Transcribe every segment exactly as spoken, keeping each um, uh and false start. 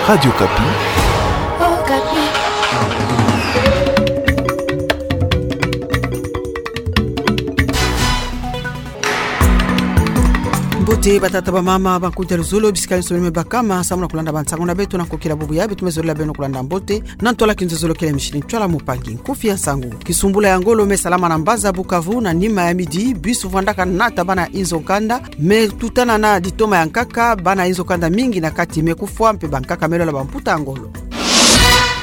Radio Okapi. Mbote batata, bamama, bakudia, luzolo bisika nyonso beno me bakama samu na kulanda bansangu na beto na nkokila bubu ya beto me zolila beno kulanda mbote. Na ntwala kinzozolo kele mishini ntwala mupangi. Nkufi ya nsangu. Kisumbula ya ngolo me salama na mbanza Bukavu na nima ya midi, bus vwandaka nata bana inzo kanda, me tutana na ditoma ya nkaka, bana inzo kanda mingi na kati me kufwa mpe bankaka me lwala bamputa ya ngolo.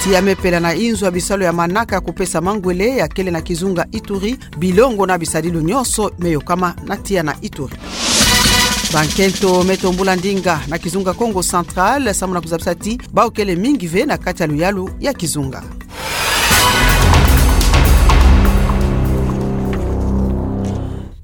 Tiya me pela na inzo ya bisalu ya manaka kupesa mangwele ya kele na kizunga Ituri, bilongo na bisadilu nyonso me yokama na tiya na Ituri. Bankento me tombula ndinga na kizunga Kongo Central samu na kuzabisa ti bawu kele mingi ve na kati ya luyalu ya kizunga.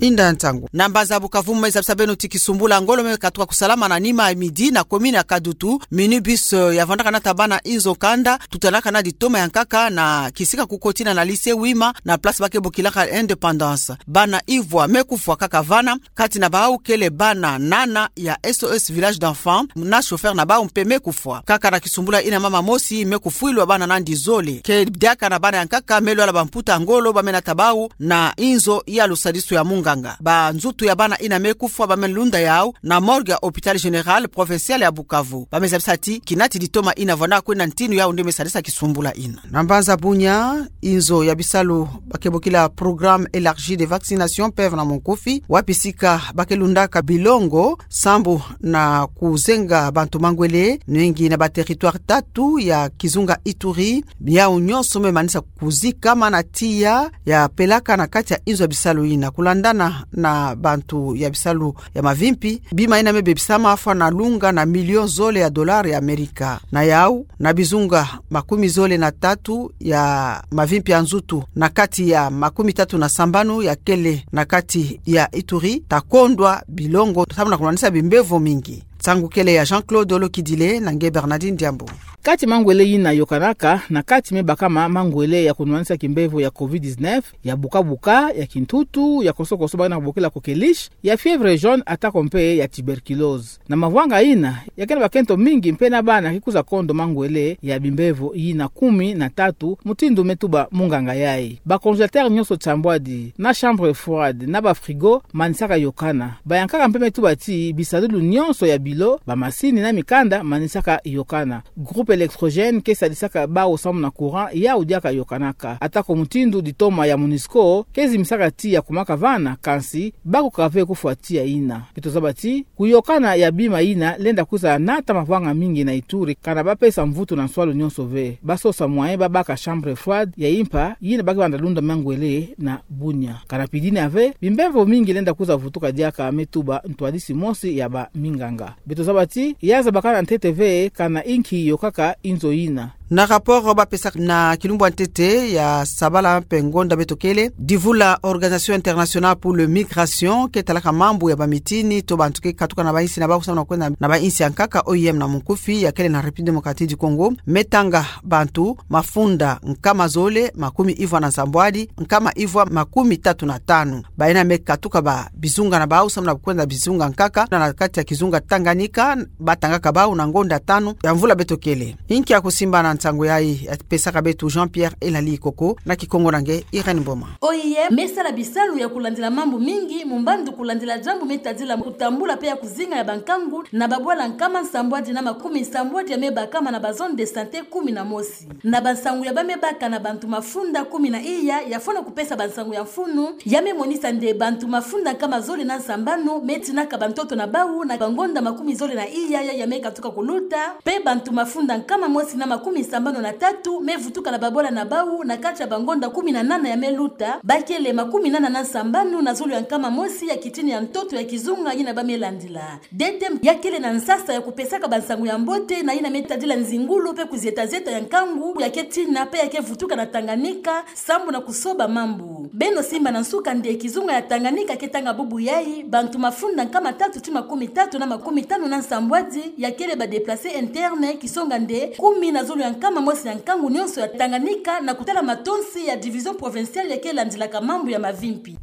Inda nsangu. Na mbanza Bukavu me zabisa beno ti kisumbula ngolo me katuka kusalama na nima ya midi na commune ya Kadutu, minibus, eh, ya vwandaka nata bana inzo kanda, tutanaka na ditoma ya nkaka na kisika kukotina na lycée Wima na place ba ke bokilaka Indépendance. Bana ivwa me kufwa kaka vana, kati na bawu kele bana nana ya S O S Village d'Enfants, na chauffeur na bawu mpe me kufwa. Kaka na kisumbula ina, mama mosi me kufwilwa bana nandi zole. Ke diaka na bana ya nkaka me lwala bamputa ya ngolo ba me nata bawu na inzo ya lusadisu ya munganga. Banzutu ya bana ina me kufwa ba me lunda yawu na morgue ya Hôpital Général Provincial ya Bukavu. Ba me zabisa ti kinati ditoma ina vwanda kwenda ntinu yawu nde me sadisa kisumbula ina. Na mbanza Bunia, inzo ya bisalu ba ke bokila Programme élargi de vaccination, PEV na monkufi, wapi sika ba ke lundaka bilongo sambu na kuzenga bantu mangwele, nwengi na ba territoire tatu ya kizunga Ituri, yawu nyonso me manisa kuzikama na tiya ya pelaka na kati ya inzo ya bisalu ina. Kulandana na bantu ya bisalu ya mavimpi, bima ina me bebisama fwana lunga na million zole ya dollar ya Amerika. Na yawu, na bizunga makumi zole na tatu ya mavimpi ya nzutu na kati ya makumi tatu na sambanu ya kele na kati ya Ituri, ta kondwa bilongo samu na kunwanisa bimbevo mingi. Nsangu kele ya Jean-Claude Olokidile na nge Bernardine Diambu. Kati mangwele ina yokanaka, na kati me bakama mangwele ya kunwanisa kimbevo ya covid dix-neuf, ya buka-buka, ya kintutu, ya koso-koso ba na bokila kokeliche, ya fièvre jaune, atako mpe ya tuberculose. Na mavwanga ina, ya ke na bakento mingi mpe na bana ke kwiza kondo mangwele ya bimbevo ina kumi na tatu, mutindu me tuba munganga yayi. Ba congélateur nyonso sambwadi, na chambre froide, na ba frigo, manisaka yokana. Bayankaka mpe me tuba ti bisadulu nyonso ya bilo, bamasini na mikanda, manisaka yokana. Groupe électrogène ke sadisaka bawu samu na courant yawu diaka yokanaka. Atako mutindu ditoma ya MONUSCO ke zimbisaka tiya kumaka vana, kansi bakokaka ve kufwa tiya ina. Beto zaba ti kuyokana ya bima ina lenda kwiza nata mavwanga mingi na Ituri, kana bapesa mvutu na nswalu nyonso ve. Basosa moyen babaka chambre froide ya impa ina ba ke banda lunda mangwele na Bunia. Kana pidina ve, bimbevo mingi lenda kwiza vutuka diaka, me tuba ntwadisi mosi ya baminganga. Beto zaba ti ya zabakana ntete ve kana inki yokaka inzo ina. Na rapport bapesaka na kilumbu ya ntete ya sabala mpe ngonda beto kele, divula Organisation Internationale pour le Migration, ke talaka mambu ya bamitini to bantu ke katuka na bainsi na bawu samu na kwenda na bainsi ya nkaka, O I M na monkufi, ya kele na République Démocratique du Congo, me tanga bantu mafunda nkama zole makumi ivwa na nsambwadi, nkama ivwa makumi tatu na tanu. Baina me katuka ba bizunga na bawu samu na kwenda bizunga nkaka na, na kati ya kizunga Tanganyika, batangaka bawu na ngonda tanu ya mvula beto kele. Inki ya kusimba na nsangu yayi, ya pesaka beto Jean-Pierre Elali Koko, na Kikongo na nge Irène Mboma. O I M me sala bisalu ya kulandila mambu mingi, mumbandu kulandila diambu me tadila kutambula mpe ya kuzinga ya bankangu na babwala nkama nsambwadi na makumi nsambwadi ya me bakama na ba zone de santé kumi na mosi. Na bansangu ya ba me baka na bantu mafunda kumi na iya, ya fwana kupesa bansangu ya mfunu, ya me monisa nde bantu mafunda nkama zole na nsambanu me tinaka bantoto na bawu na bangonda makumi zole na iya ya, ya me katuka kuluta, mpe bantu mafunda nkama mosi na makumi sambanu na tatu me vutuka na babwala na bawu na kati ya bangonda kumi na nana ya me luta, ba kele makumi nana na nsambanu na zulu ya nkama mosi ya kitini ya ntoto ya kizunga ina ba me landila. D T M ya kele na nsasa ya kupesaka bansangu ya mbote na ina me tadila nzingulu mpe kuzieta-zieta ya nkangu ya ke tina mpe ya ke vutuka na Tanganyika, sambu na kusoba mambu. Beno simba na nsuka nde kizunga ya Tanganyika ke tanga bubu yayi, bantu mafunda nkama tatu ti makumi tatu na makumi tanu na nsambwadi ya kele ba déplacés internes, kisonga nde kumi na zulu ya nkama mosi ya nkangu nyonso ya Tanganyika, na kutala matonsi ya Division Provinciale ya ke landilaka mambu ya mavimpi.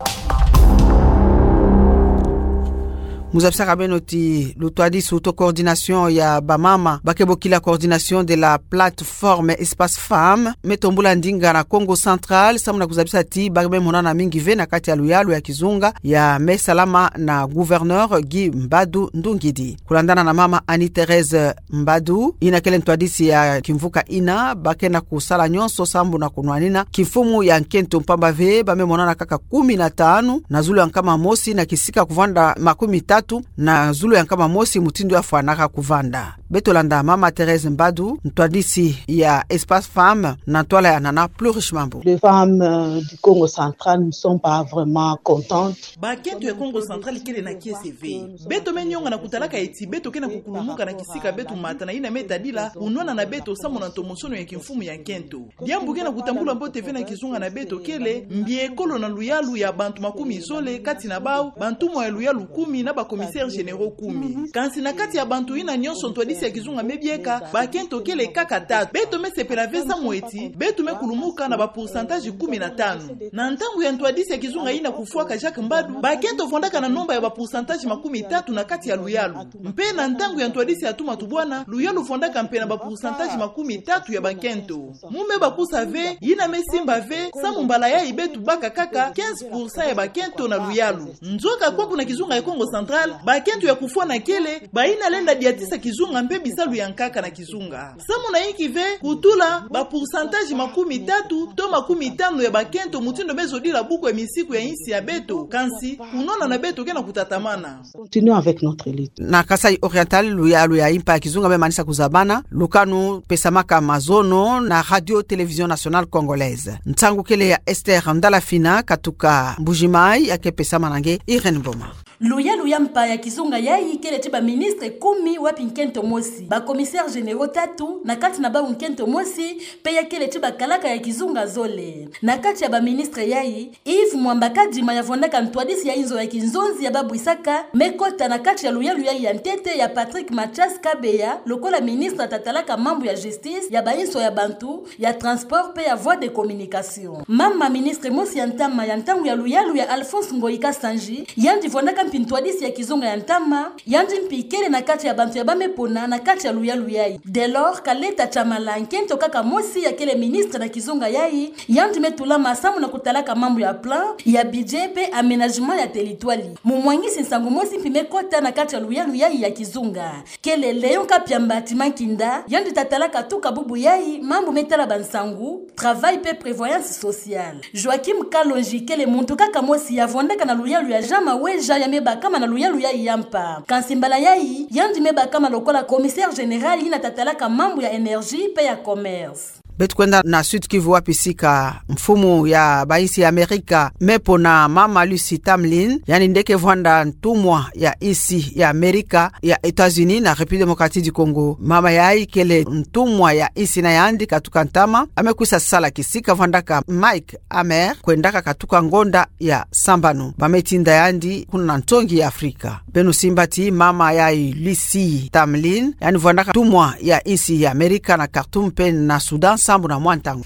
Mu zabisaka beno ti lutwadisi uto coordination ya bamama ba ke bokila Coordination de la Plateforme Espace Femmes me tombula ndinga na Kongo Central samu na kuzabisa ti ba me monana mingi ve na kati ya luyalu ya kizunga ya me salama na gouverneur Guy Mbadu Ndungidi. Kulandana na mama Annie Thérèse Mbadu, yina kele ntwadisi ya kimvuka yina, ba ke na kusala nyonso sambu na kunwanina kimfumu ya nkento mpamba ve ba me monana kaka kumi na tanu na zulu ya nkama mosi na kisika kuvanda makumi tatu na zulu ya nkama mosi mutindu yafwanaka kuvanda. Beto landa mama Thérèse Mbadu, ntwadisi ya Espace Femmes, na ntwala ya Nana Plurish Mambu. Les femmes, euh, du Congo Central ne sont pas vraiment contentes. Bakento ya Kongo Central kele na kiese ve. Beto me nionga na kutalaka eti beto ke na kukulumuka na kisika beto mata na yina me tadila unwana na beto samu na ntomosono ya kimfumu ya nkento. Diambu ke na kutambula mbote ve na kizunga na beto kele mbi ekolo na luyalu ya bantu makumi zole, kati na bau bantumwa ya luyalu kumi na ba commissaires généraux kumi. Kansi na kati ya bantu yina nyonso ntwadisi ya kizunga me bieka, bakento kele kaka tatu. Beto me sepela ve samu eti beto me kulumuka na ba pourcentage kumi na tanu. Na ntangu ya ntwadisi ya kizunga yina kufwaka Jacques Mbadu, bakento vwandaka na nomba ya ba pourcentage makumi tatu na kati ya luyalu. Mpe na ntangu ya ntwadisi ya Touma Toubouana, luyalu vwandaka mpe na ba pourcentage makumi tatu ya bakento. Mu me bakusa ve, yina me simba ve samu mbala yayi beto baka kaka quinze pour cent ya bakento na luyalu. Nzoka kwaku na kizunga ya Kongo Central, bakento ya kufwana kele, bayina lenda diatisa kizunga mpe bisalu ya nkaka na kizunga. Samu na yinki ve kutula ba pourcentage makumi tatu to makumi tanu ya bakento mutindu me zodila buku ya misiku ya insi ya beto, kansi kunwana na beto ke na kutatamana. Continuons avec notre lutte. Na Kasaï Oriental, luyalu ya mpa ya kizunga me manisa kuzabana, lukanu pesamaka mazono na Radio Télévision Nationale Congolaise. Nsangu kele ya Esther Ndalafina katuka Mbuji-Mayi, ya ke pesamana nge Irène Mboma. Luyalu ya mpa ya kizunga yayi kele ti ba ministres kumi wapi nkento mosi, ba commissaires généraux tatu, na kati na bau nkento mosi mpe ya kele ti bakalaka ya kizunga zole. Na kati ya ba ministres yayi, Yves Mwamba Kadima, ya vwandaka ntwadisi ya inzo ya kinzonzi ya babwisaka, me kota na kati ya luyalu yayi ya ntete ya Patrick Mathias Kabeya lokola ministre tatalaka mambu ya justice, ya bainso ya bantu, ya transport mpe ya voies de communication. Mama ministre mosi ya ntama ya ntangu ya luyalu ya Alphonse Ngoyi Kasanji, yandi vwandaka mpi ntwadisi ya kizunga ya ntama, yandi mpi kele na kati ya bantu ya ba me pona na kati ya luyalu yayi. Delor Kaleta Tshamala, nkento kaka mosi ya kele ministre na kizunga yayi, yandi me tulama samu na kutalaka mambu ya plan, ya budget mpe aménagement ya territoire. Mumwangisi nsangu mosi mpi me kota na kati ya luyalu yayi ya kizunga. Kele Léon Kapiamba Timankinda, yandi tatalaka tuka bubu yayi mambu me tala ba nsangu, travail mpe prévoyance sociale. Joachim Kalonji kele muntu kaka mosi ya vwandaka na luyalu ya Jean Maweja ya me bakama na luyalu yayi ya mpa. Kansi mbala yayi, yandi me bakama lokola commissaire général yina tatalaka mambu ya énergie mpe ya commerce. Beto kwenda na Sud-Kivu wapi sika mfumu ya bainsi ya Amerika me pona mama Lucy Tamlyn, yandi nde ke vwanda ntumwa ya insi ya Amerika ya États-Unis na République Démocratique du Congo. Mama yayi kele ntumwa ya insi na yandi katuka ntama, ya me kwisa sala kisika vwandaka Mike Hammer, kwendaka katuka ngonda ya sambanu. Ba me tinda yandi kuna na ntongi ya Afrika. Beno simba ti mama yayi Lucy Tamlyn, yandi vwandaka ntumwa ya insi ya Amerika na Khartoum mpe na Soudan sambu na mwa ntangu.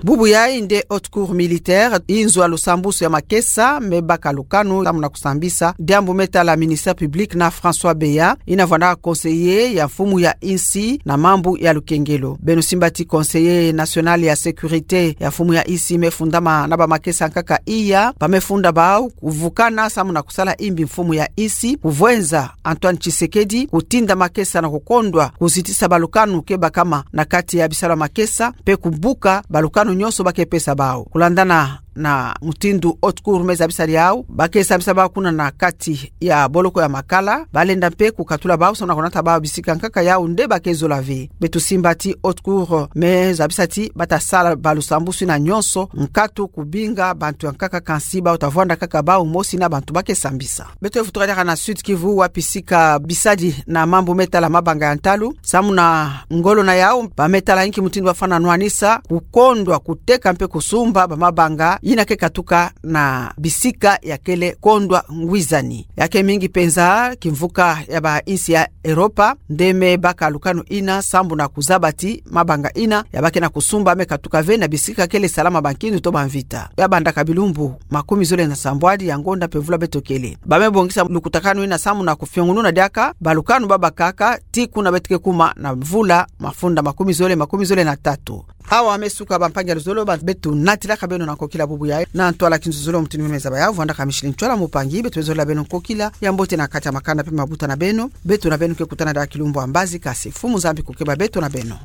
Bubu yayi nde Haute Cour militaire, inzo ya lusambusu ya makesa, me baka lukanu samu na kusambisa diambu me tala ministère public na François Beya, yina vwandaka conseiller ya mfumu ya insi na mambu ya lukengelo. Beno simba ti conseiller national ya sécurité ya mfumu ya insi me fundama na ba makesa nkaka iya, ba me funda bau kuvukana samu na kusala imbi mfumu ya insi, kuvwenza Antoine Tshisekedi kutinda makesa na kukondwa kuzitisa balukanu ke bakama na kati ya bisalu ya makesa, mpe kubuka balukanu nyonso ba ke pesa bau. Kulandana na mutindu Haute Cour me zabisa diau, ba ke sambisa bau kuna na kati ya boloko ya Makala, ba lenda mpe kukatula bau samu na kunata bau bisika nkaka yau nde ba ke zola ve. Beto simba ti Haute Cour me zabisa ti ba ta sala balusambusu yina nyonso, nkatu kubinga bantu ya nkaka, kansi bau ta vwanda kaka bau mosi na bantu ba ke sambisa. Beto vutuka diaka na Sud-Kivu wapi sika bisadi na mambu me tala mabanga ya ntalu, samu na ngolo na yau, ba me tala inki mutindu ba fana nwanisa kukondwa kuteka mpe kusumba ba mabanga yina ke katuka na bisika ya kele kondwa ngwizani. Ya ke mingi penza kimvuka ya ba insi ya Europa nde me baka lukanu ina sambu na kuzabati mabanga ina ya ba ke na kusumba me katuka ve na bisika kele salama ba nkindu to ba mvita. Ya bandaka bilumbu makumi zole na sambwadi ya ngonda mpe vula beto kele, ba me bongisa lukutakanu ina sambu na kufiongununa diaka ba lukanu babakaka tii kuna beto ke kuma na vula mafunda makumi zole, makumi zole na tatu. Awa me suka, bampangi ya luzolo, ba beto natilaka beno na nkokila bubu yayi. Na ntwala kinzuzolo mutini meme zaba ya vwandaka Micheline Ntwala Mupangi, beto zola beno nkokila ya mbote na kati ya makanda mpe mabuta na beno. Beto na beno ke kutana diaka kilumbu ya mbazi, kasi Mfumu Nzambi kukeba beto na beno.